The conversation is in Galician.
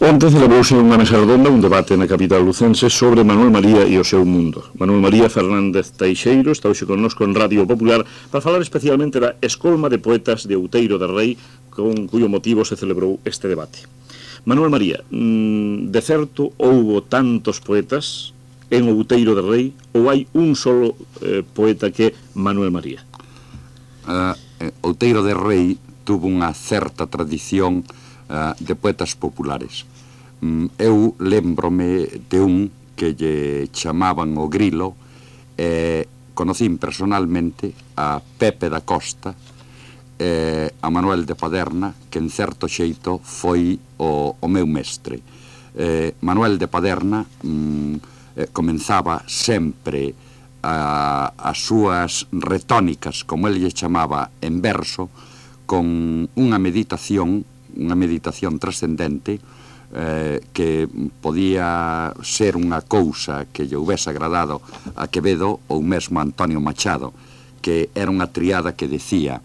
Onte celebrouse unha mesa redonda, un debate na capital lucense sobre Manuel María e o seu mundo. Manuel María Fernández Teixeiro está hoxe connosco en Radio Popular para falar especialmente da Escolma de Poetas de Outeiro de Rei, con cuyo motivo se celebrou este debate. Manuel María, de certo houbo tantos poetas en Outeiro de Rei ou hai un solo poeta que é Manuel María? Outeiro de Rei tuvo unha certa tradición de poetas populares. Eu lembrome de un que lle chamaban o Grilo, e conocín personalmente a Pepe da Costa, a Manuel de Paderna, que en certo xeito foi o meu mestre. Manuel de Paderna comenzaba sempre as súas retónicas, como el lle chamaba, en verso, con unha meditación trascendente, que podía ser unha cousa que lle houvese agradado a Quevedo ou mesmo a Antonio Machado, que era unha triada que decía: